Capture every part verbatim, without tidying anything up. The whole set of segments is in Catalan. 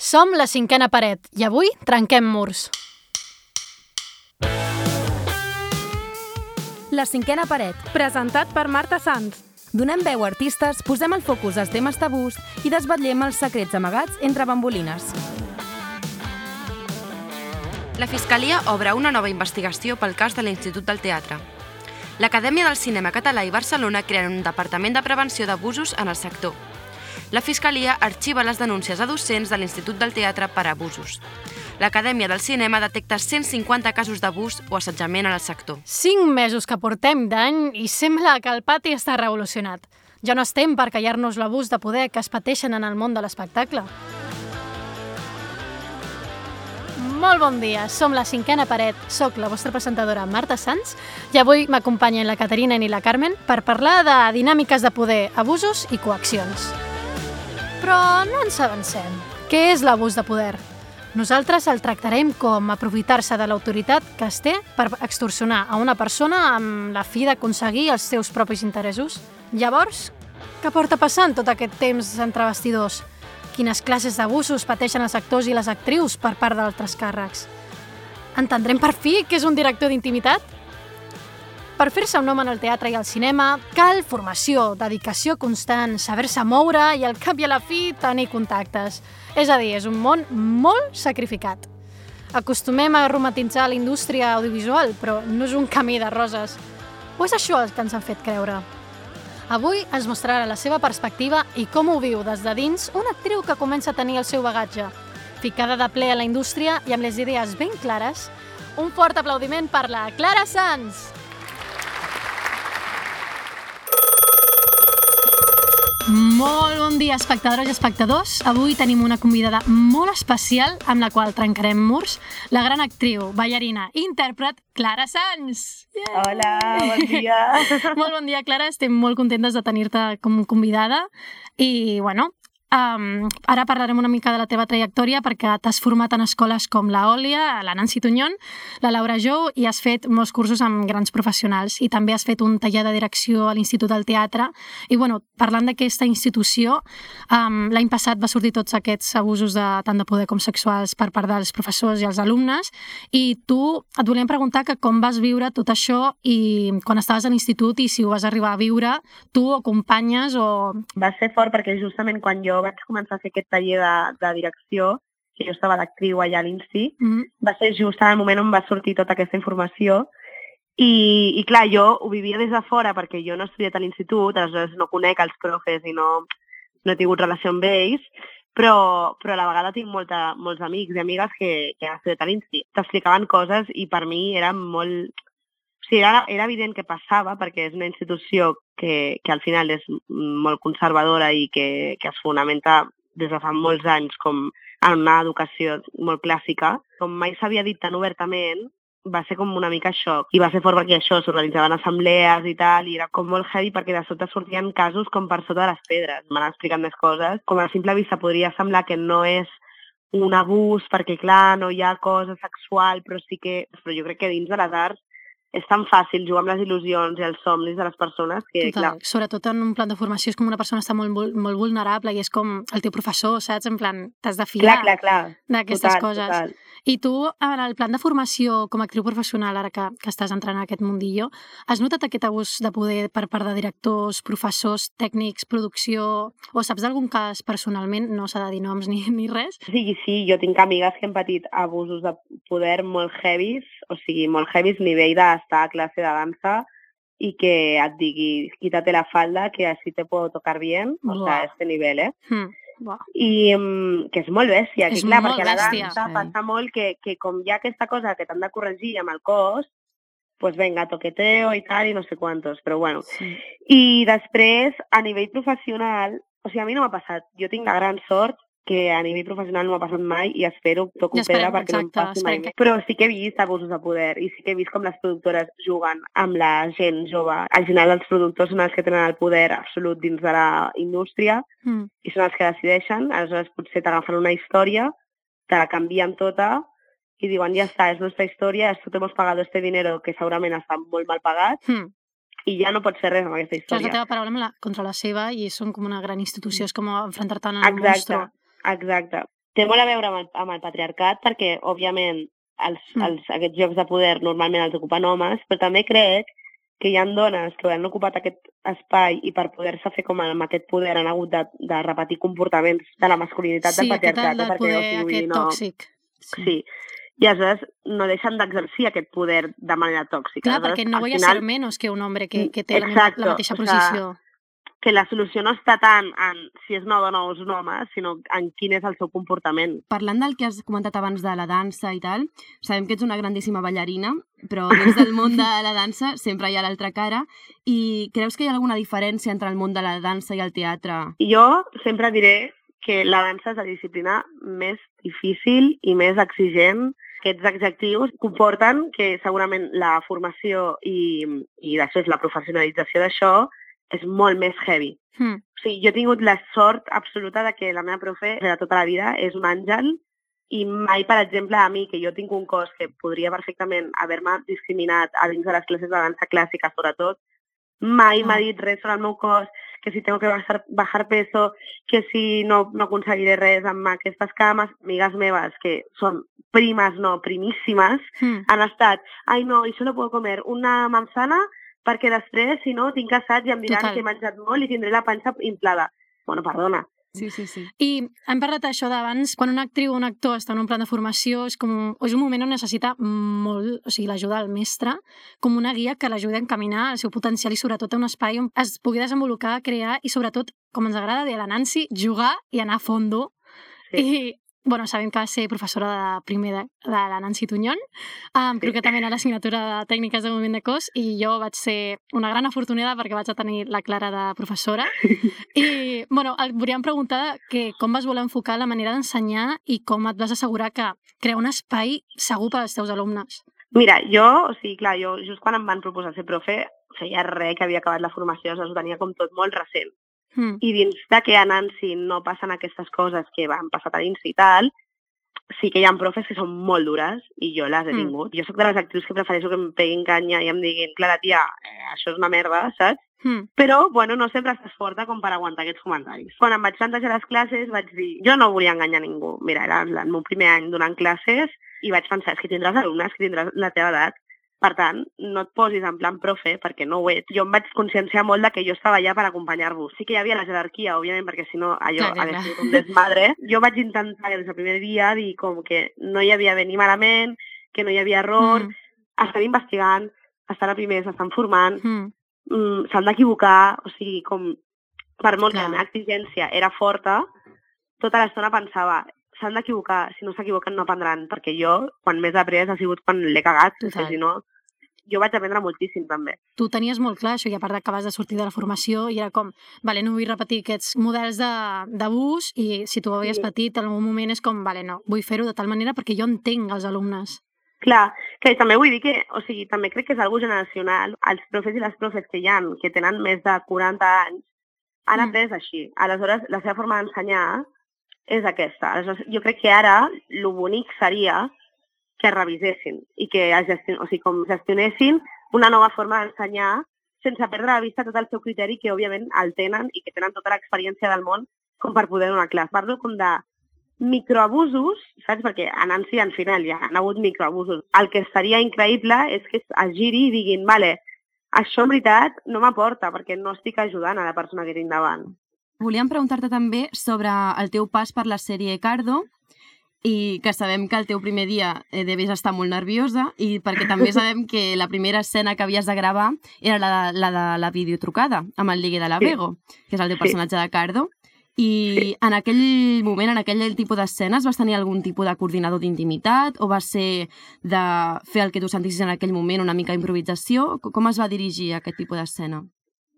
Som la cinquena paret i avui trenquem murs. La cinquena paret, presentat per Marta Sanz. Donem veu a artistes, posem el focus als temes tabús i desvetllem els secrets amagats entre bambolines. La Fiscalia obre una nova investigació pel cas de l'Institut del Teatre. L'Acadèmia del Cinema Català i Barcelona creen un departament de prevenció d'abusos en el sector. La Fiscalia arxiva les denúncies a docents de l'Institut del Teatre per abusos. L'Acadèmia del Cinema detecta cent cinquanta casos d'abús o assetjament en el sector. Cinc mesos que portem d'any i sembla que el pati està revolucionat. Ja no estem per callar-nos l'abús de poder que es pateixen en el món de l'espectacle. Molt bon dia, som la cinquena paret, soc la vostra presentadora Marta Sanz i avui m'acompanyen la Caterina i la Carmen per parlar de dinàmiques de poder, abusos i coaccions. Però no ens avancem. Què és l'abús de poder? Nosaltres el tractarem com aprofitar-se de l'autoritat que es té per extorsionar a una persona amb la fi d'aconseguir els seus propis interessos. Llavors, què porta passant tot aquest temps entre bastidors? Quines classes d'abusos pateixen els actors i les actrius per part d'altres càrrecs? Entendrem per fi què és un director d'intimitat? Per fer-se un nom en el teatre i el cinema cal formació, dedicació constant, saber-se moure i al cap i a la fi tenir contactes. És a dir, és un món molt sacrificat. Acostumem a romantitzar la indústria audiovisual, però no és un camí de roses. O és això el que ens han fet creure? Avui ens mostrarà la seva perspectiva i com ho viu des de dins una actriu que comença a tenir el seu bagatge. Ficada de ple a la indústria i amb les idees ben clares, un fort aplaudiment per la Clara Sanz! Molt bon dia, espectadores i espectadors. Avui tenim una convidada molt especial amb la qual trencarem murs, la gran actriu, ballarina i intèrpret Clara Sanz. Yeah. Hola, bon dia. Molt bon dia, Clara. Estem molt contentes de tenir-te com convidada i, bueno, Um, ara parlarem una mica de la teva trajectòria perquè t'has format en escoles com la Òlia, la Nancy Tuñón, la Laura Jou i has fet molts cursos amb grans professionals i també has fet un taller de direcció a l'Institut del Teatre i bueno, parlant d'aquesta institució, um, l'any passat va sortir tots aquests abusos de, tant de poder com sexuals per part dels professors i els alumnes i tu et volíem preguntar que com vas viure tot això i quan estaves a l'institut i si ho vas arribar a viure tu o companyes o... Va ser fort perquè justament quan jo vaig començar a fer aquest taller de, de direcció, que jo estava d'actriu allà a l'Insti, mm-hmm. va ser just en el moment on va sortir tota aquesta informació i, i clar, jo ho vivia des de fora perquè jo no he estudiat a l'institut, aleshores no conec els profes i no, no he tingut relació amb ells, però, però a la vegada tinc molta, molts amics i amigues que, que han estudiat a l'Insti. T'explicaven coses i per mi era molt... O sigui, era, era evident que passava perquè és una institució que, que al final és molt conservadora i que, que es fonamenta des de fa molts anys com en una educació molt clàssica. Com mai s'havia dit tan obertament, va ser com una mica xoc. I va ser fort perquè això, s'organitzaven assemblees i tal, i era com molt heavy perquè de sota sortien casos com per sota de les pedres. M'han explicat més coses. Com a simple vista podria semblar que no és un abús perquè, clar, no hi ha cosa sexual, però sí que... Però jo crec que dins de les arts és tan fàcil jugar amb les il·lusions i els somnis de les persones que, total, clar... Sobretot en un plan de formació és com una persona està molt, molt vulnerable i és com el teu professor, saps? En plan, t'has de fiar clar, clar, clar. d'aquestes total, coses. Total. I tu, en el plan de formació com a actriu professional, ara que, que estàs entrant en aquest mundillo, has notat aquest abús de poder per part de directors, professors, tècnics, producció... O saps d'algun cas personalment? No s'ha de dir noms ni, ni res. Sí, sí, jo tinc amigues que han patit abusos de poder molt heavies, o sigui, molt heavies, nivell d'estar a classe de dansa i que et digui, quítate la falda, que així te puedo tocar bien, o sea, a este nivel, eh? Hmm. Wow. I um, que és molt bèstia, que és clar, molt perquè a la bèstia, dansa sí. passa molt que, que com hi ha aquesta cosa que t'han de corregir amb el cos, pues venga, toqueteo i tal, i no sé quantos, però bueno. Sí. I després, a nivell professional, o sigui, a mi no m'ha passat, jo tinc la gran sort que a nivell professional no m'ha passat mai i espero, toco ja esperem, pedra perquè exacte, no em passi mai que... més. Però sí que he vist abusos de poder i sí que he vist com les productores juguen amb la gent jove. Al final els productors són els que tenen el poder absolut dins de la indústria mm. i són els que decideixen. Aleshores potser t'agafen una història, te la canvien tota i diuen ja està, és nostra història, esto te hemos pagado este dinero que segurament està molt mal pagat mm. i ja no pots fer res amb aquesta història. És la teva paraula la, contra la seva i són com una gran institució, és com enfrontar-te en el Exacte. monstru. Exacte. té molt a veure amb el, amb el patriarcat perquè, òbviament, els, mm. els, aquests llocs de poder normalment els ocupen homes, però també crec que hi ha dones que han ocupat aquest espai i per poder-se fer com amb aquest poder han hagut de, de repetir comportaments de la masculinitat sí, del patriarcat. Sí, del perquè, poder o sigui, aquest no... tòxic. Sí. sí. I aleshores no deixen d'exercir aquest poder de manera tòxica. Clar, aleshores, perquè no voy a final... ser menos que un home que, que té Exacto, la, la mateixa o sea, posició. Que la solució no està tant en si és una dona o és un home, sinó en quin és el seu comportament. Parlant del que has comentat abans de la dansa i tal, sabem que ets una grandíssima ballarina, però dins del món de la dansa sempre hi ha l'altra cara. I creus que hi ha alguna diferència entre el món de la dansa i el teatre? Jo sempre diré que la dansa és la disciplina més difícil i més exigent. Aquests adjectius comporten que segurament la formació i, i després la professionalització d'això és molt més heavy. Mm. O sigui, jo he tingut la sort absoluta de que la meva profe de tota la vida és un àngel i mai, per exemple, a mi, que jo tinc un cos que podria perfectament haver-me discriminat a dins de les classes de dansa clàssica, sobretot, mai m'ha dit res sobre el meu cos, que si tengo que bajar, bajar peso, que si no, no aconseguiré res amb aquestes cames. Amigues meves, que són primes, no, primíssimes, mm. han estat, ai no, això no puedo comer una manzana perquè després, si no, tinc assaig i em diran Total. que he menjat molt i tindré la panxa inflada. Bueno, perdona. Sí, sí, sí. I hem parlat d'això d'abans, quan una actriu o un actor està en un plan de formació, és, com, és un moment on necessita molt, o sigui, l'ajuda del mestre, com una guia que l'ajudi a encaminar el seu potencial i sobretot a un espai on es pugui desenvolupar, crear i sobretot, com ens agrada dir a la Nancy, jugar i anar a fondo. Sí. I bueno, sabem que va ser professora de primer de, de la Nancy Tuñón, um, sí. concretament a l'assignatura de tècniques de moviment de cos, i jo vaig ser una gran afortunada perquè vaig a tenir la Clara de professora. I, bueno, el, volíem preguntar que com vas voler enfocar la manera d'ensenyar i com et vas assegurar que crear un espai segur per als teus alumnes. Mira, jo, o sigui, clar, jo just quan em van proposar ser profe, feia res que havia acabat la formació, o sigui, ho tenia com tot molt recent. Mm. I dins de que a Nancy no passen aquestes coses que van passar a dins i tal, sí que hi ha profes que són molt dures i jo les he tingut. Mm. Jo soc de les actrius que prefereixo que em peguin canya i em diguin, Clara, tia, eh, això és una merda, saps? Mm. Però, bueno, no sempre estàs forta com per aguantar aquests comentaris. Quan em vaig plantejar les classes vaig dir, jo no volia enganyar ningú. Mira, era el meu primer any donant classes i vaig pensar, és que tindràs alumnes, que tindràs la teva edat. Per tant, no et posis en plan profe, perquè no ho ets. Jo em vaig conscienciar molt de que jo estava allà per acompanyar-vos. Sí que hi havia la jerarquia, òbviament, perquè si no allò clar, hagués sigut un desmadre. Jo vaig intentar des del primer dia dir com que no hi havia bé ni malament, que no hi havia error, mm. estan investigant, estan a primers, estan formant, mm. mm, s'han d'equivocar, o sigui, com per molt clar. que la meva exigència era forta, tota l'estona pensava, s'han d'equivocar, si no s'equivoquen no aprendran, perquè jo, quan més he après ha sigut quan l'he cagat, perquè si no, jo vaig aprendre moltíssim també. Tu tenies molt clar això, i a part que vas de sortir de la formació, i era com, vale, no vull repetir aquests models d'abús, i si tu ho havies sí. patit, en algun moment és com, vale, no, vull fer-ho de tal manera perquè jo entenc els alumnes. Clar, que també vull dir que, o sigui, també crec que és algo generacional. Els profes i les profes que hi ha, que tenen més de quaranta anys, han mm. après així. Aleshores, la seva forma d'ensenyar és aquesta. Aleshores, jo crec que ara el bonic seria que es revisessin i que gestion... o sigui, com gestionessin una nova forma d'ensenyar sense perdre de vista tot el seu criteri que, òbviament, el tenen i que tenen tota l'experiència del món com per poder donar classe. Parlo com de microabusos, saps? Perquè a Nancy, al final, ja han hagut microabusos. El que seria increïble és que es giri i diguin, vale, això en veritat no m'aporta perquè no estic ajudant a la persona que tinc davant. Volíem preguntar-te també sobre el teu pas per la sèrie Cardo, i que sabem que el teu primer dia eh, devies estar molt nerviosa, i perquè també sabem que la primera escena que havies de gravar era la, la de la videotrucada amb el Ligue de la Vego, sí. que és el teu personatge sí. de Cardo, i sí. en aquell moment, en aquell tipus d'escenes, vas tenir algun tipus de coordinador d'intimitat o va ser de fer el que tu sentissis en aquell moment, una mica d'improvisació? Com es va dirigir aquest tipus d'escena?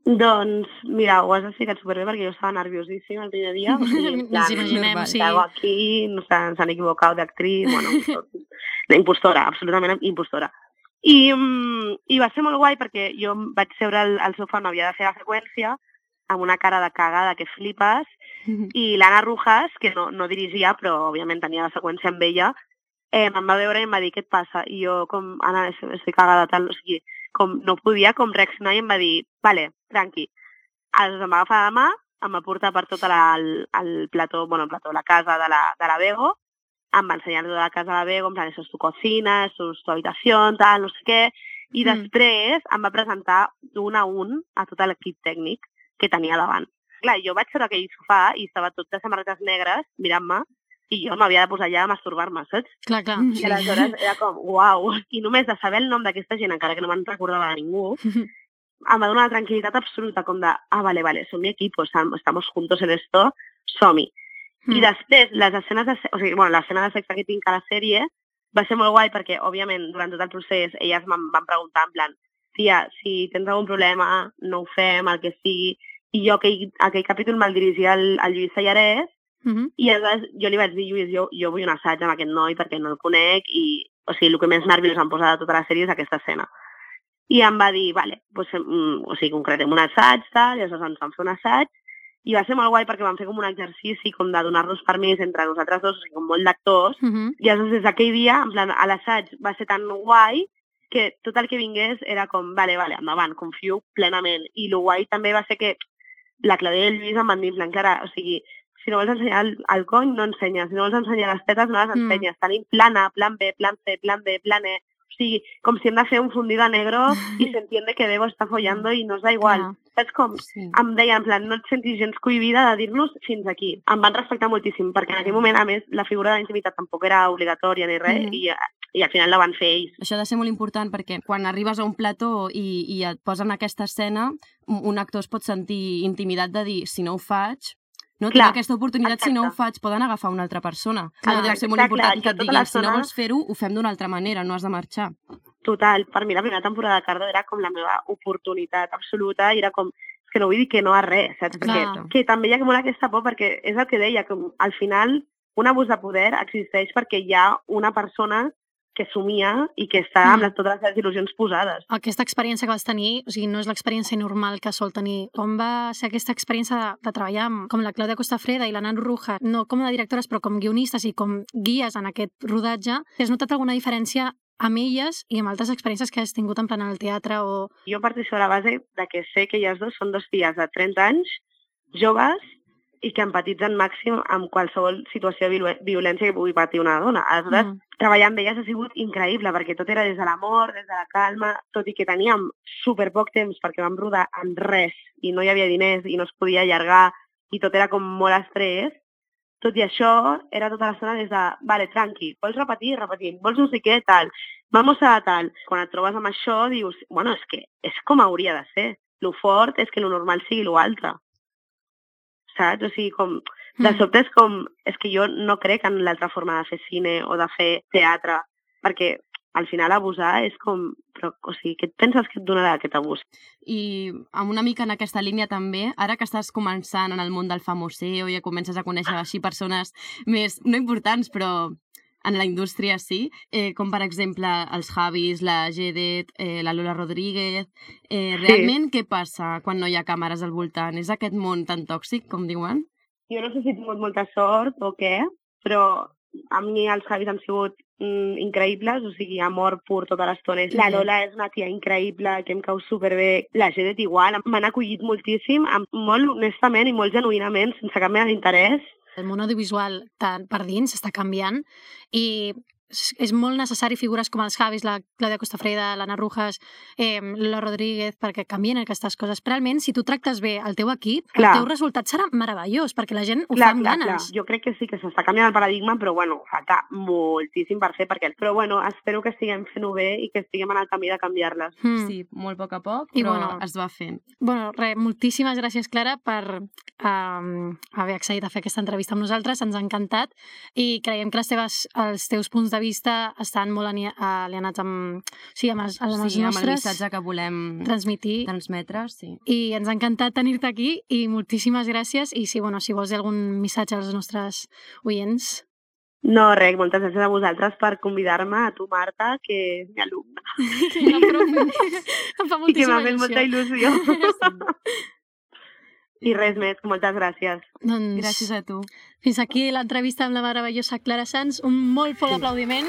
Doncs, mira, ho has explicat superbé perquè jo estava nerviosíssima el primer dia. O sigui, en plan, ens imaginem, sí. Aquí, no s'han equivocat d'actriz, bueno, la impostora, absolutament impostora. I, I va ser molt guai perquè jo vaig seure al, al sofà on havia de fer la seqüència amb una cara de cagada que flipes, i l'Anna Rujas, que no, no dirigia, però òbviament tenia la seqüència amb ella, eh, em va veure i em va dir, què et passa? I jo, com, Anna, estic cagada, tal, o sigui, com no podia com reaccionar i em va dir, vale, tranqui. Aleshores em va agafar la mà, em va portar per tot la, el, el plató, bueno, el plató, la casa de la, de la Bego, em va ensenyar tota la casa de la Bego, en plan, això és tu cocina, això és tu habitació, tal, no sé què, i mm. després em va presentar d'un a un a tot l'equip tècnic que tenia davant. Clar, jo vaig fer aquell sofà i estava tot de samarretes negres mirant-me i jo m'havia de posar ja a masturbar-me, saps? Clar, clar. I sí. Aleshores era com, uau, i només de saber el nom d'aquesta gent, encara que no me'n recordava de ningú, em va donar una tranquil·litat absoluta, com de, ah, vale, vale, som mi equipo, estamos juntos en esto, som-hi. Mm. I després, les escenes de, o sigui, bueno, l'escena de sexe que tinc a la sèrie va ser molt guai perquè, òbviament, durant tot el procés, elles em van preguntar, en plan, tia, si tens algun problema, no ho fem, el que sigui. I jo aquell, aquell capítol me'l dirigia al, al Lluís Sallarès, mm-hmm. i aleshores jo li vaig dir, Lluís, jo, jo vull un assaig amb aquest noi perquè no el conec, i, o sigui, el que més nerviós em posa de tota la sèrie és aquesta escena. I em va dir, vale, doncs, mm, o sigui, concretem un assaig, tal, i aleshores ens vam fer un assaig, i va ser molt guai perquè vam fer com un exercici com de donar-nos permís entre nosaltres dos, o sigui, com molt d'actors, uh-huh. i aleshores des d'aquell dia, en plan, a l'assaig va ser tan guai que tot el que vingués era com, vale, vale, endavant, confio plenament. I el guai també va ser que la Clàudia i el Lluís em van dir, en plan, Clara, o sigui, si no vols ensenyar el, el cony, no ensenyes, si no vols ensenyar les tetes, no les ensenyes. Mm. Tenim plan A, plan B, plan C, plan D, plan E, o sigui, com si hem de fer un fundido a negro i s'entiende que Bego està follando i no es da igual. Ah. Saps com? Sí. Em deien, en plan, no et sentis gens cohibida de dir-nos fins aquí. Em van respectar moltíssim, perquè en aquell moment, a més, la figura de la intimitat tampoc era obligatòria ni res, mm. i, i al final la van fer ells. Això ha de ser molt important, perquè quan arribes a un plató i, i et posen aquesta escena, un actor es pot sentir intimidat de dir, si no ho faig, no tinc aquesta oportunitat, exacte. Si no ho faig, poden agafar una altra persona. Clar, deu ser molt important que et diguin, si no vols fer-ho, ho fem d'una altra manera, no has de marxar. Total, per mi la primera temporada de Cardo era com la meva oportunitat absoluta i era com, que no vull dir que no a res, saps? Perquè, que també hi ha molt aquesta por, perquè és el que deia, que al final un abús de poder existeix perquè hi ha una persona que somia i que està amb les, totes les seves il·lusions posades. Aquesta experiència que vas tenir, o sigui, no és l'experiència normal que sol tenir. Com va ser aquesta experiència de, de treballar amb, com la Clàudia Costafreda i la Nan Ruja, no com a directores, però com guionistes i com guies en aquest rodatge? Has notat alguna diferència amb elles i amb altres experiències que has tingut en plan al teatre? O... Jo parteixo de la base de que sé que elles dos són dos filles de trenta anys, joves, i que empatitzen màxim amb qualsevol situació de violència que pugui patir una dona. Aleshores, mm. treballar amb elles ha sigut increïble, perquè tot era des de l'amor, des de la calma, tot i que teníem super poc temps perquè vam rodar amb res i no hi havia diners i no es podia allargar i tot era com molt estrès. Tot i això, era tota l'estona des de, vale, tranqui, vols repetir? Repetim. Vols no sé què? Tal. Vamos a tal. Quan et trobes amb això, dius, bueno, és que és com hauria de ser. Lo fort és que lo normal sigui lo altre. Saps? O sigui, com, de sobte és com, és que jo no crec en l'altra forma de fer cine o de fer teatre, perquè al final abusar és com, però, o sigui, què et penses que et donarà aquest abús? I amb una mica en aquesta línia també, ara que estàs començant en el món del famoseo i ja comences a conèixer així persones més, no importants, però en la indústria sí, eh, com per exemple els Javis, la Jedet, eh, la Lola Rodríguez. Eh, realment, sí. Què passa quan no hi ha càmeres al voltant? És aquest món tan tòxic, com diuen? Jo no sé si he tingut molta sort o què, però a mi els Javis han sigut mm, increïbles, o sigui, amor pur tota l'estona. La Lola és una tia increïble, que em cau superbé. La Jedet igual, m'han acollit moltíssim, molt honestament i molt genuïnament, sense cap mena d'interès. El món audiovisual per dins està canviant i és molt necessari figures com els Javis, la Clàudia Costafreda, l'Anna Rujas, eh, la Rodríguez, perquè canvien aquestes coses. Realment, si tu tractes bé el teu equip, clar. El teu resultat serà meravellós, perquè la gent ho clar, fa amb clar, ganes. Clar. Jo crec que sí que s'està canviant el paradigma, però bueno, falta moltíssim per fer, perquè... Però bueno, espero que estiguem fent-ho bé i que estiguem en el camí de canviar-les. Mm. Sí, molt a poc a poc, però I, bueno, es va fent. Bueno, res, moltíssimes gràcies, Clara, per um, haver accedit a fer aquesta entrevista amb nosaltres. Ens ha encantat i creiem que les teves, els teus punts de vista estan molt alienats amb, sí, amb, els, amb els sí, nostres... amb el missatge que volem transmitir. transmetre. Sí. I ens ha encantat tenir-te aquí i moltíssimes gràcies. I sí, bueno, si vols dir algun missatge als nostres oients... No, res, moltes gràcies a vosaltres per convidar-me, a tu, Marta, que és mi alumna. No, però em fa moltíssima I que m'ha fet molta il·lusió. I res més, moltes gràcies. Doncs, gràcies a tu. Fins aquí l'entrevista amb la meravellosa Clara Sanz. Un molt fort sí. aplaudiment.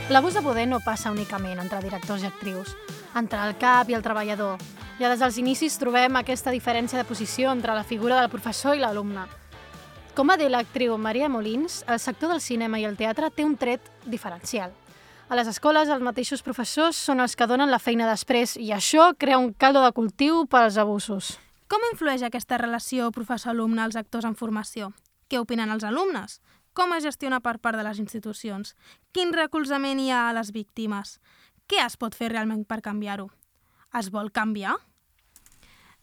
L'abús de poder no passa únicament entre directors i actrius, entre el cap i el treballador. Ja des dels inicis trobem aquesta diferència de posició entre la figura del professor i l'alumne. Com va dir l'actriu Maria Molins, el sector del cinema i el teatre té un tret diferencial. A les escoles, els mateixos professors són els que donen la feina després i això crea un caldo de cultiu pels abusos. Com influeix aquesta relació professor-alumne als actors en formació? Què opinen els alumnes? Com es gestiona per part de les institucions? Quin recolzament hi ha a les víctimes? Què es pot fer realment per canviar-ho? Es vol canviar?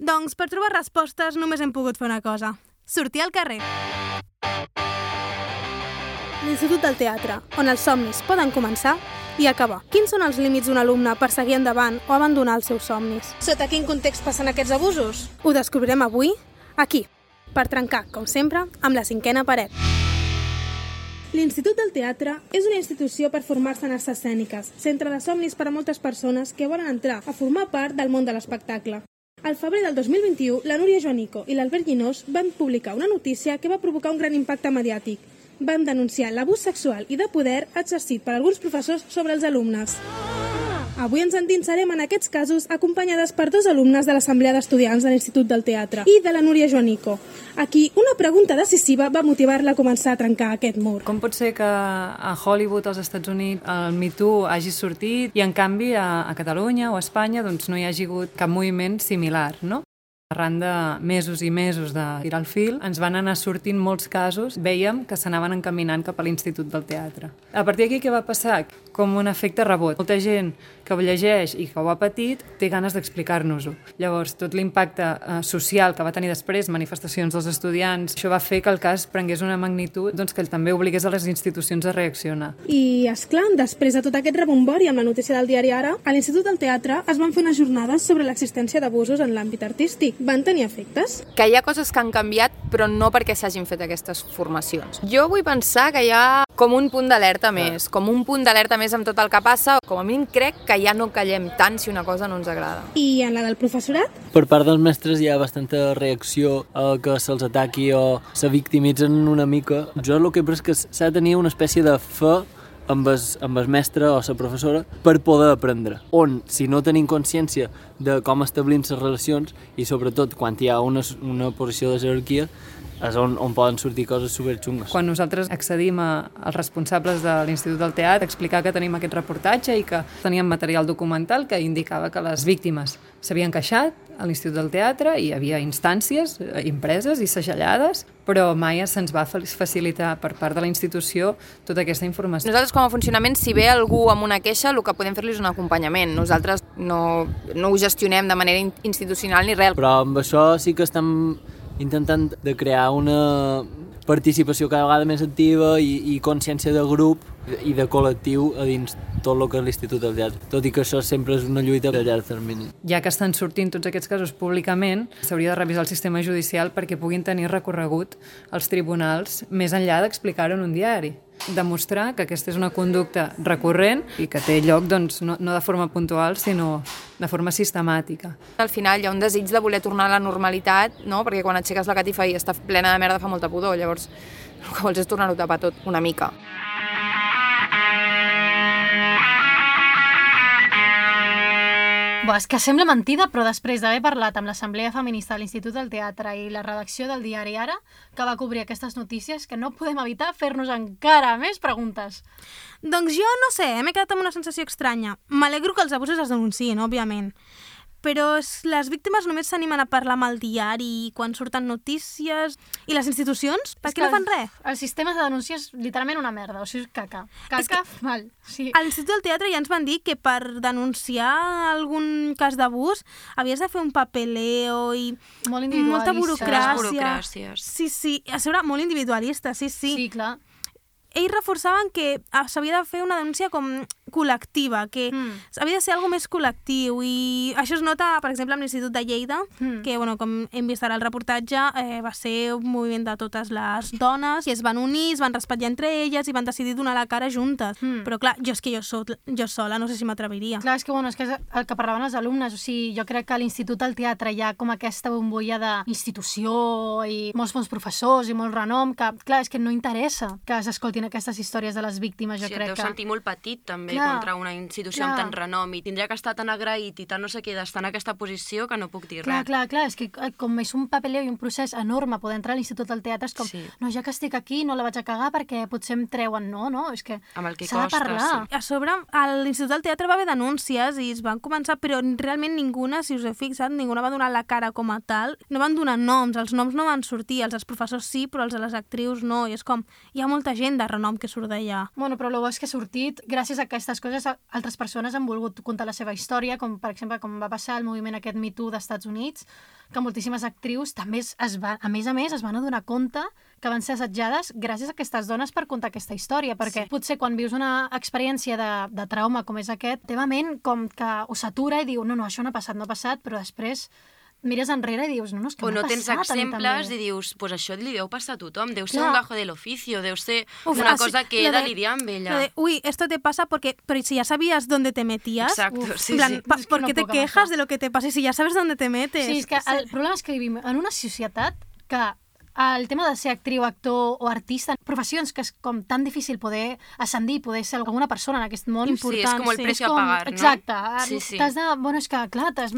Doncs per trobar respostes només hem pogut fer una cosa: sortir al carrer. L'Institut del Teatre, on els somnis poden començar i acabar. Quins són els límits d'un alumne per seguir endavant o abandonar els seus somnis? Sota quin context passen aquests abusos? Ho descobrirem avui, aquí, per trencar, com sempre, amb la cinquena paret. L'Institut del Teatre és una institució per formar-se en arts escèniques, centre de somnis per a moltes persones que volen entrar a formar part del món de l'espectacle. Al febrer del dos mil vint-i-u, la Núria Joanico i l'Albert Llinós van publicar una notícia que va provocar un gran impacte mediàtic. Van denunciar l'abús sexual i de poder exercit per alguns professors sobre els alumnes. Avui ens endinsarem en aquests casos acompanyades per dos alumnes de l'Assemblea d'Estudiants de l'Institut del Teatre i de la Núria Joanico, a qui una pregunta decisiva va motivar-la a començar a trencar aquest mur. Com pot ser que a Hollywood, als Estats Units, el Me Too hagi sortit i en canvi a, a Catalunya o a Espanya doncs, no hi hagi hagut cap moviment similar, no? Arran de mesos i mesos de tirar el fil, ens van anar sortint molts casos, veiem que s'anaven encaminant cap a l'Institut del Teatre. A partir d'aquí què va passar? Com un efecte rebot. Molta gent que ho llegeix i que ho ha patit té ganes d'explicar-nos-ho. Llavors, tot l'impacte eh, social que va tenir després, manifestacions dels estudiants, això va fer que el cas prengués una magnitud doncs, que també obligués a les institucions a reaccionar. I, esclar, després de tot aquest rebombori amb la notícia del diari Ara, a l'Institut del Teatre es van fer unes jornades sobre l'existència d'abusos en l'àmbit artístic. Van tenir efectes? Que hi ha coses que han canviat, però no perquè s'hagin fet aquestes formacions. Jo vull pensar que hi ha com un punt d'alerta més, com un punt d'alerta més amb tot el que passa, com a mínim crec que ja no callem tant si una cosa no ens agrada. I en la del professorat? Per part dels mestres hi ha bastanta reacció a que se'ls ataqui o se victimitzen una mica. Jo el que he pres que s'ha de tenir una espècie de fe amb el, amb el mestre o la professora per poder aprendre. On, si no tenim consciència de com establim les relacions i sobretot quan hi ha una, una posició de jerarquia, és on, on poden sortir coses superxungues. Quan nosaltres accedim a, als responsables de l'Institut del Teatre, explicar que tenim aquest reportatge i que teníem material documental que indicava que les víctimes s'havien queixat a l'Institut del Teatre i hi havia instàncies impreses i segellades, però mai se'ns va facilitar per part de la institució tota aquesta informació. Nosaltres com a funcionament, si ve algú amb una queixa, el que podem fer-li és un acompanyament. Nosaltres no, no ho gestionem de manera institucional ni res. Però amb això sí que estem intentant de crear una participació cada vegada més activa i, i consciència de grup i de col·lectiu a dins tot el que és l'Institut del Teatre, tot i que això sempre és una lluita a llarg termini. Ja que estan sortint tots aquests casos públicament, s'hauria de revisar el sistema judicial perquè puguin tenir recorregut als tribunals més enllà d'explicar-ho en un diari. Demostrar que aquesta és una conducta recurrent i que té lloc doncs, no, no de forma puntual, sinó de forma sistemàtica. Al final hi ha un desig de voler tornar a la normalitat, no? Perquè quan aixeques la catifa i està plena de merda fa molta pudor, llavors el que vols és tornar-ho a tapar tot una mica. Bo, és que sembla mentida, però després d'haver parlat amb l'Assemblea Feminista de l'Institut del Teatre i la redacció del diari Ara, que va cobrir aquestes notícies, que no podem evitar fer-nos encara més preguntes. Doncs jo no sé, m'he quedat amb una sensació estranya. M'alegro que els abusos es denunciïn, òbviament. Però les víctimes només s'animen a parlar amb el diari quan surten notícies. I les institucions? Per què no fan res? El sistema de denúncia és literalment una merda, o sigui, caca. Caca, que mal. Sí. A l'Institut del Teatre ja ens van dir que per denunciar algun cas d'abús havies de fer un papeleo i molt individualista. Molta burocràcia. burocràcies. Sí, sí, a sobre molt individualista, sí, sí. Sí, clar. Ells reforçaven que s'havia de fer una denúncia com col·lectiva, que mm. havia de ser alguna més col·lectiu, i això es nota, per exemple, amb l'Institut de Lleida, mm. que, bueno, com hem vist ara el reportatge, eh, va ser un moviment de totes les dones, i es van unir, es van respectar entre elles, i van decidir donar la cara juntes. Mm. Però, clar, jo és que jo, soc, jo sola no sé si m'atreviria. Clar, és que, bueno, és que és el que parlaven els alumnes, o sigui, jo crec que a l'Institut del Teatre hi ha com aquesta bombolla d'institució i molts bons professors i molt renom, que, clar, és que no interessa que s'escoltin aquestes històries de les víctimes, jo sí, crec que... Sí, et deu sentir molt petit, també. també clar, contra una institució clar. amb tant renom i tindria que estar tan agraït i tan no sé què d'estar en aquesta posició que no puc dir clar, res. Clar, clar, és que com és un papeleo i un procés enorme poder entrar a l'Institut del Teatre, és com, sí. no, ja que estic aquí no la vaig a cagar perquè potser em treuen, no, no, és que s'ha de parlar. Sí. A sobre, a l'Institut del Teatre va haver denúncies i es van començar, però realment ninguna, si us heu fixat, ninguna va donar la cara com a tal, no van donar noms, els noms no van sortir, els dels professors sí, però els de les actrius no, i és com, hi ha molta gent de renom que surt d'allà. Bueno, però el bo és que ha sortit, gràcies a aquestes coses, altres persones han volgut contar la seva història, com per exemple, com va passar el moviment aquest Me Too dels Estats Units, que moltíssimes actrius també es, es va, a més a més es van adonar compte que van ser assetjades gràcies a aquestes dones per contar aquesta història, perquè sí. potser quan vius una experiència de, de trauma com és aquest, teva ment com que ho s'atura i diu, no, no, això no ha passat, no ha passat, però després mires enrere i dius, no, no, és que o m'ha no passat tens exemples i dius, pues això li deu passar a tothom, deu ser Clar. un gajo de l'oficio, deu ser Uf, una así, cosa que he de, de lidiar amb ella. De, uy, esto te pasa porque, pero si ya sabías dónde te metías, Exacto, uf, sí, en plan, sí. pa, Es que ¿por no qué te puc amb quejas això. de lo que te pasa? Si ya sabes dónde te metes. Sí, és que el problema és que vivim en una societat que el tema de ser actriu, actor o artista, professions que és com tan difícil poder ascendir, poder ser alguna persona en aquest món important. Sí, és com el sí. precio com, a pagar, no? Exacte. Sí, sí. T'has de... Bueno, és que, clar, t'has,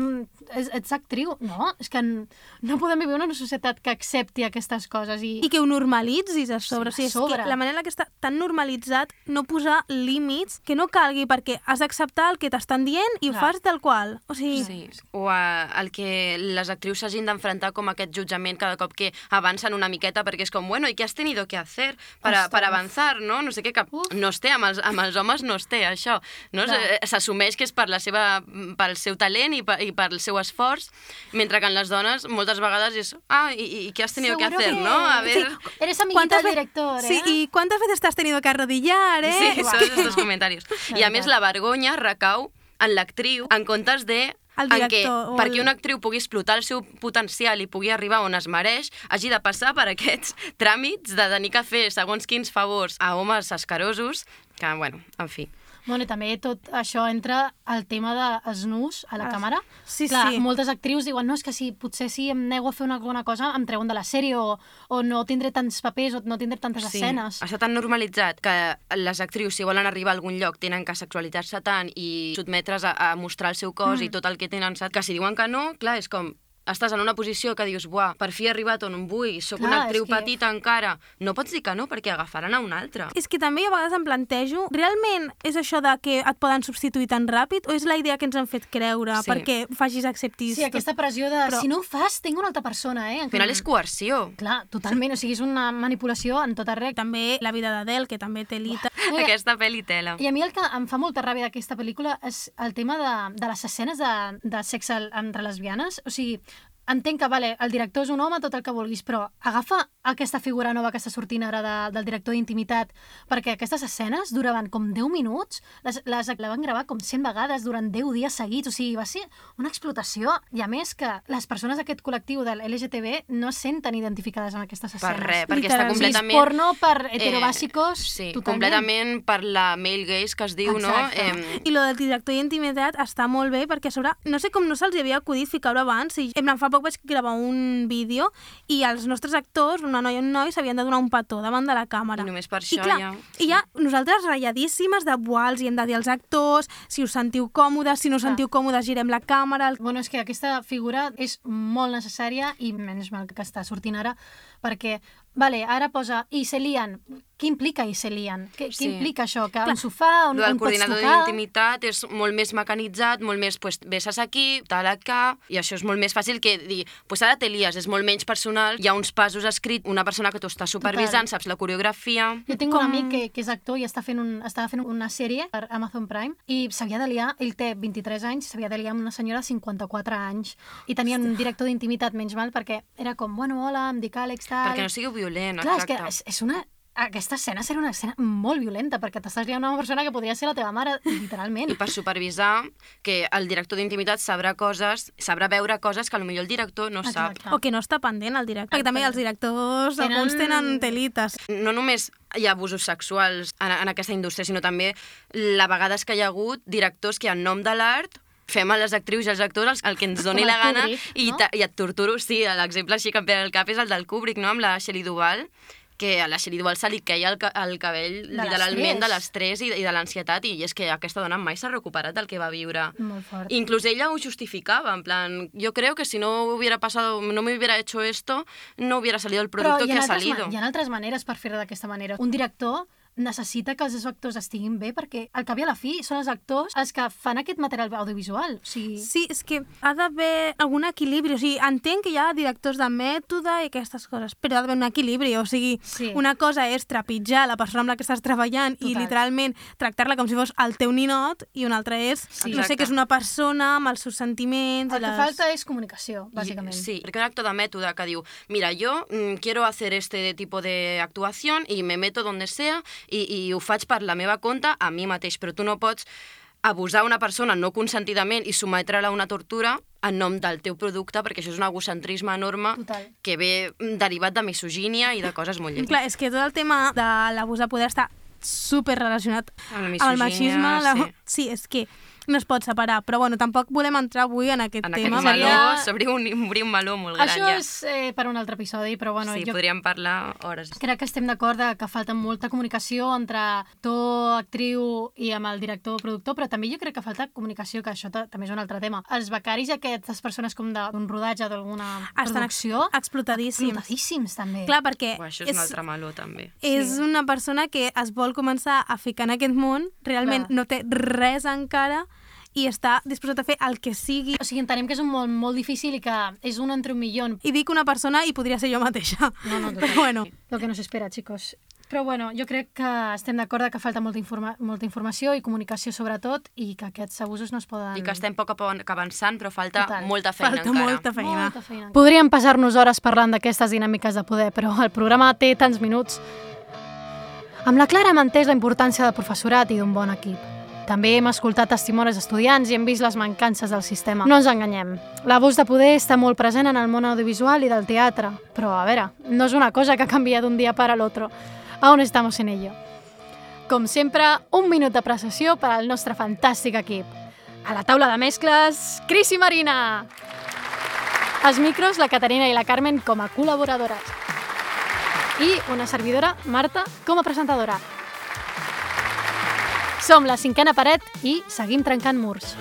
ets, ets actriu. No, és que no podem viure en una societat que accepti aquestes coses. I, I que ho normalitzis a sobre. Sí, o sigui, a sobre. És que la manera que està tan normalitzat no posar límits que no calgui perquè has d'acceptar el que t'estan dient i ho Clar. fas tal qual. O sigui... Sí. O uh, el que les actrius s'hagin d'enfrontar com aquest jutjament cada cop que avancen una miqueta perquè és com, bueno, ¿y qué has tenido que hacer para, para avanzar, no? No sé què, que Uf. no es té, amb els, amb els homes no es té, això. No? S'assumeix que és per la seva, pel seu talent i, per, i pel seu esforç, mentre que en les dones moltes vegades és, ah, ¿y, y qué has tenido Seguro que hacer, que... no? A ver... Sí. Eres amiguita del director, ¿eh? Sí, ¿y cuántas veces te has tenido que arrodillar, eh? Sí, són aquests comentaris. I a més la vergonya recau en l'actriu en comptes de el en què, el... perquè una actriu pugui explotar el seu potencial i pugui arribar on es mereix, hagi de passar per aquests tràmits de tenir que fer segons quins favors a homes escarosos, que, bueno, en fi. Bueno, i també tot això entra al tema dels nus a la ah, càmera. Sí, Clar, sí. moltes actrius diuen, no, és que si potser si em nego a fer una, alguna cosa em treuen de la sèrie o, o no tindré tants papers o no tindré tantes sí. escenes. Està tan normalitzat que les actrius, si volen arribar a algun lloc, tenen que sexualitzar-se tant i sotmetre's a, a mostrar el seu cos mm. i tot el que tenen, que si diuen que no, clar, és com... estàs en una posició que dius, buah, per fi he arribat on em vull, sóc Clar, una actriu és que... petita encara. No pots dir que no, perquè agafaran a un altre. És que també a vegades em plantejo, realment és això de que et poden substituir tan ràpid o és la idea que ens han fet creure Sí. perquè facis acceptis? Sí, aquesta pressió de, Però- si no ho fas, tinc una altra persona, eh? Al final és coerció. Clar, totalment, o sigui, és una manipulació en tot arreu. També la vida d'Adele, que també té lita. No, i- Aquesta pel·li tela. I a mi el que em fa molta ràbia d'aquesta pel·lícula és el tema de, de les escenes de, de sexe entre lesbianes. O sigui, entenc que, vale, el director és un home, tot el que vulguis, però agafa aquesta figura nova que està sortint ara de, del director d'intimitat, perquè aquestes escenes duraven com deu minuts, les, les la van gravar com cent vegades durant deu dies seguits, o sigui, va ser una explotació, i a més que les persones d'aquest col·lectiu de l'L G T B no es senten identificades amb aquestes Per escenes. res, perquè Literal. està O sigui, és completament... porno per heterobàsicos, Eh, sí, totalment. completament per la male gaze que es diu, Exacte. no? Eh, I lo del director d'intimitat està molt bé perquè a sobre, no sé com no se'ls havia acudit ficar-ho abans, i en plan, fa poc vaig gravar un vídeo i els nostres actors, una noia i un noi, s'havien de donar un petó davant de la càmera. I només per I això clar, ja... i ja nosaltres ratlladíssimes de buah, els hi hem de dir als actors, si us sentiu còmodes, si no us Clar. sentiu còmodes, girem la càmera. Bueno, és que aquesta figura és molt necessària i menys mal que està sortint ara, perquè, vale, ara posa i se lien. Què implica i se lien? Què, Sí. què implica això? Que un sofà on, El on pots coordinador tocar? d'intimitat és molt més mecanitzat, molt més, pues, besses aquí, tal acá, i això és molt més fàcil que dir, pues ara te lies, és molt menys personal, hi ha uns passos escrits, una persona que t'ho està supervisant, saps la coreografia... Jo tinc Com- un amic que, que és actor i està fent un, estava fent una sèrie per Amazon Prime i s'havia de liar, ell té vint-i-tres anys, s'havia de liar amb una senyora de cinquanta-quatre anys i tenia un director d'intimitat menys mal perquè era com, bueno, hola, em dic Àlex, tal... Perquè no sigueu violent, Clar, exacte. és que és, és una... Aquesta escena serà una escena molt violenta perquè t'estàs liant amb una persona que podria ser la teva mare, literalment. I per supervisar que el director d'intimitat sabrà coses, sabrà veure coses que potser el director no sap. Exacte. O que no està pendent el director. Perquè també els directors, Tenen- alguns tenen telites. No només hi ha abusos sexuals en, en aquesta indústria, sinó també la vegades que hi ha hagut directors que en nom de l'art fem a les actrius i als actors el, el que ens doni Com el la gana Kubrick, i, no? ta, i et torturo. Sí, l'exemple així que em ve al cap és el del Kubrick, no? Amb la Shelley Duvall, que a la Shelley Duvall se li queia el, ca el cabell de literalment de l'estrès i, i de l'ansietat, i és que aquesta dona mai s'ha recuperat del que va viure. Molt fort. Inclús ella ho justificava, en plan, yo creo que si no hubiera pasado, no me hubiera hecho esto, no hubiera salido el producto que ha salido. Hi ha altres maneres per fer-ho d'aquesta manera. Un director necessita que els seus actors estiguin bé perquè al cap i a la fi són els actors els que fan aquest material audiovisual. O sigui... Sí, és que ha d'haver algun equilibri. O sigui, entenc que hi ha directors de mètode i aquestes coses, però ha d'haver un equilibri. O sigui, sí. Una cosa és trepitjar la persona amb la que estàs treballant Total. I literalment tractar-la com si fos el teu ninot, i una altra és, sí. no sé, que és una persona amb els seus sentiments... El que les... falta és comunicació, bàsicament. I, sí, perquè un actor de mètode que diu, mira, yo mm, quiero hacer este tipo de actuación y me meto donde sea I, i ho faig per la meva compte a mi mateix, però tu no pots abusar una persona no consentidament i sometre-la a una tortura en nom del teu producte, perquè això és un egocentrisme enorme Total. Que ve derivat de misogínia i de coses molt lleves. Clar, és que tot el tema de l'abús de poder està super relacionat amb, amb el machisme. La... Sí. sí, és que no es pot separar, però bueno, tampoc volem entrar avui en aquest en tema. En aquest meló, s'obrir un, obrir un meló molt gran. Això ja. és eh, per un altre episodi, però bueno... Sí, jo podríem parlar hores. Crec que estem d'acord que falta molta comunicació entre actor, actriu i amb el director o productor, però també jo crec que falta comunicació, que això també és un altre tema. Els becaris i aquestes persones com d'un rodatge d'alguna producció... Estan explotadíssims. Explotadíssims, també. Clar, perquè... Uah, això és, és un altre meló, també. És sí. Una persona que es vol començar a ficar en aquest món, realment Clar. No té res encara, i està disposat a fer el que sigui. O sigui, entenem que és un món molt difícil i que és un entre un milió. I dic una persona i podria ser jo mateixa. No, no, però bueno. Lo que no s'espera, chicos. Però bueno, jo crec que estem d'acord que falta molta, informa molta informació i comunicació sobretot i que aquests abusos no es poden... I que estem poc a poc avançant, però falta Total. molta feina falta encara. Molta feina. Molta feina. Podríem passar-nos hores parlant d'aquestes dinàmiques de poder, però el programa té tants minuts. Amb la Clara hem entès la importància del professorat i d'un bon equip. També hem escoltat testimonis d'estudiants i hem vist les mancances del sistema. No ens enganyem. L'abús de poder està molt present en el món audiovisual i del teatre. Però, a veure, no és una cosa que canvia d'un dia para l'altre. Aún estamos en ello. Com sempre, un minut d'apreciació per al nostre fantàstic equip. A la taula de mescles, Cris i Marina. Als micros, la Caterina i la Carmen com a col·laboradores. I una servidora, Marta, com a presentadora. Som la cinquena paret i seguim trencant murs.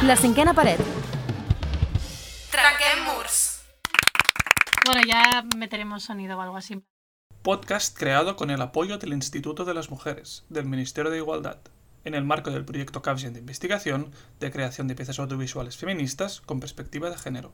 La cinquena paret. Trenquem murs. Bueno, ya meteremos sonido o algo así. Podcast creado con el apoyo del Instituto de las Mujeres, del Ministerio de Igualdad, en el marco del proyecto Capgen de investigación de creación de piezas audiovisuales feministas con perspectiva de género.